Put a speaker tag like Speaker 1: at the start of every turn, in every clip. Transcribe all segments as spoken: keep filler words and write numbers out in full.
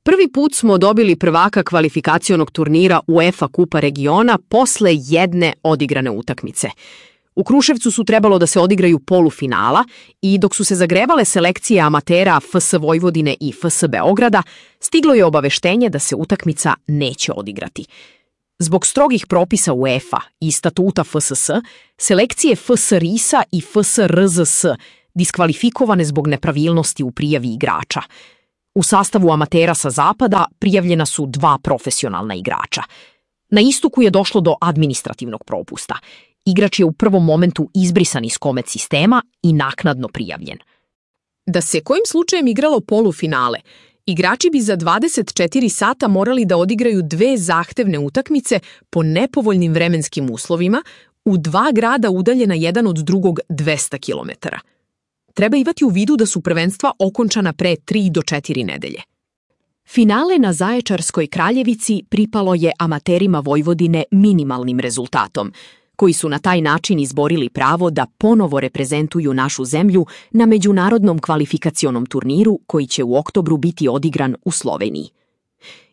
Speaker 1: Prvi put smo dobili prvaka kvalifikacionog turnira UEFA Kupa regiona posle jedne odigrane utakmice. U Kruševcu su trebalo da se odigraju polufinala i dok su se zagrevale selekcije amatera F S Vojvodine i F S Beograda, stiglo je obaveštenje da se utakmica neće odigrati. Zbog strogih propisa UEFA i statuta F S S, selekcije F S RIS-a i F S R Z S diskvalifikovane zbog nepravilnosti u prijavi igrača. U sastavu amatera sa zapada prijavljena su dva profesionalna igrača. Na istoku je došlo do administrativnog propusta. Igrač je u prvom momentu izbrisan iz komet sistema i naknadno prijavljen.
Speaker 2: Da se kojim slučajem igralo polufinale, igrači bi za dvadeset četiri sata morali da odigraju dve zahtevne utakmice po nepovoljnim vremenskim uslovima u dva grada udaljena jedan od drugog dvesta kilometara. Treba imati u vidu da su prvenstva okončana pre tri do četiri nedelje.
Speaker 1: Finale na Zaječarskoj Kraljevici pripalo je amaterima Vojvodine minimalnim rezultatom, koji su na taj način izborili pravo da ponovo reprezentuju našu zemlju na međunarodnom kvalifikacionom turniru koji će u oktobru biti odigran u Sloveniji.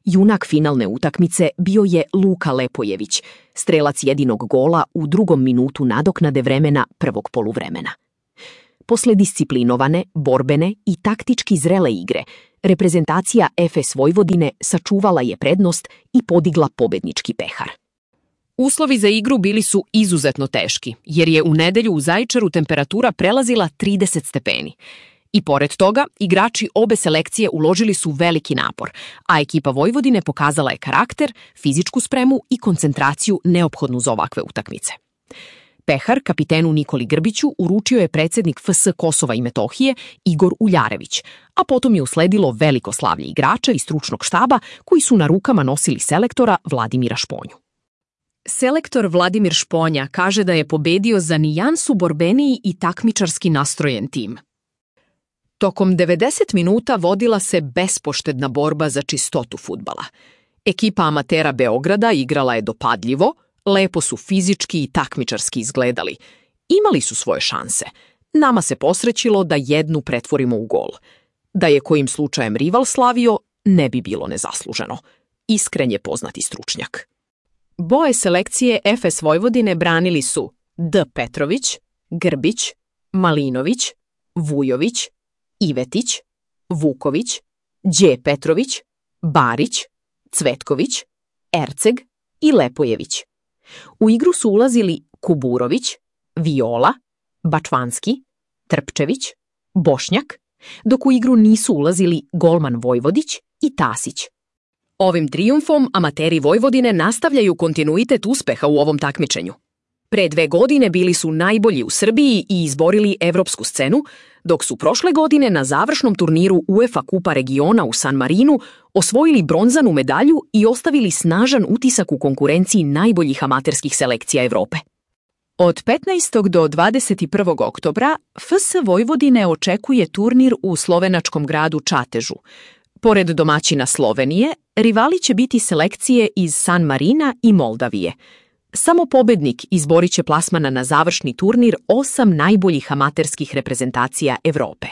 Speaker 1: Junak finalne utakmice bio je Luka Lepojević, strelac jedinog gola u drugom minutu nadoknade vremena prvog poluvremena. Posle disciplinovane, borbene i taktički zrele igre, reprezentacija F S Vojvodine sačuvala je prednost i podigla pobednički pehar.
Speaker 2: Uslovi za igru bili su izuzetno teški, jer je u nedelju u Zaječaru temperatura prelazila trideset stepeni. I pored toga, igrači obe selekcije uložili su veliki napor, a ekipa Vojvodine pokazala je karakter, fizičku spremu i koncentraciju neophodnu za ovakve utakmice. Pehar kapitenu Nikoli Grbiću uručio je predsjednik F S Kosova i Metohije Igor Uljarević, a potom je usledilo veliko slavlje igrača i stručnog štaba koji su na rukama nosili selektora Vladimira Šponju. Selektor Vladimir Šponja kaže da je pobedio za nijansu borbeniji i takmičarski nastrojen tim. Tokom devedeset minuta vodila se bespoštedna borba za čistotu fudbala. Ekipa amatera Beograda igrala je dopadljivo, lepo su fizički i takmičarski izgledali. Imali su svoje šanse. Nama se posrećilo da jednu pretvorimo u gol. Da je kojim slučajem rival slavio, ne bi bilo nezasluženo. Iskren je poznati stručnjak. Boje selekcije F S Vojvodine branili su D. Petrović, Grbić, Malinović, Vujović, Ivetić, Vuković, Đ. Petrović, Barić, Cvetković, Erceg i Lepojević. U igru su ulazili Kuburović, Viola, Bačvanski, Trpčević, Bošnjak, dok u igru nisu ulazili golman Vojvodić i Tasić. Ovim trijumfom amateri Vojvodine nastavljaju kontinuitet uspeha u ovom takmičenju. Pre dve godine bili su najbolji u Srbiji i izborili evropsku scenu, dok su prošle godine na završnom turniru UEFA Kupa regiona u San Marinu osvojili bronzanu medalju i ostavili snažan utisak u konkurenciji najboljih amaterskih selekcija Evrope.
Speaker 3: Od petnaestog do dvadeset prvog oktobra F S Vojvodine očekuje turnir u slovenačkom gradu Čatežu. Pored domaćina Slovenije, rivali će biti selekcije iz San Marina i Moldavije. Samo pobednik izborit će plasmana na završni turnir osam najboljih amaterskih reprezentacija Evrope.